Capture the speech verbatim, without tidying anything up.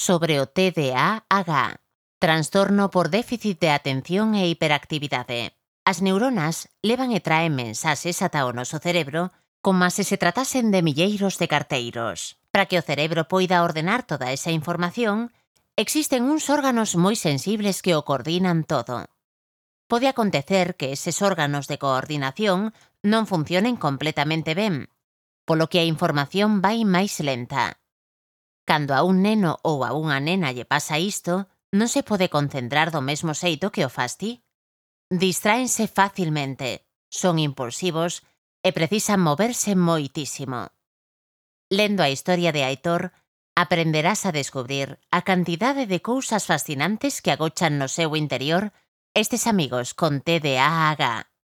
sobre o T D A H, trastorno por déficit de atención e hiperactividade. As neuronas levan e traen mensaxes ata o noso cerebro como se se tratasen de milleiros de carteiros. Para que o cerebro poida ordenar toda esa información, existen uns órganos moi sensibles que o coordinan todo. Pode acontecer que eses órganos de coordinación non funcionen completamente ben, polo que a información vai máis lenta. Cando a un neno ou a unha nena lle pasa isto, non se pode concentrar do mesmo xeito que o fas ti. Distráense facilmente, son impulsivos e precisan moverse moitísimo. Lendo a historia de Aitor, aprenderás a descubrir a cantidade de cousas fascinantes que agochan no seu interior estes amigos con T D A H.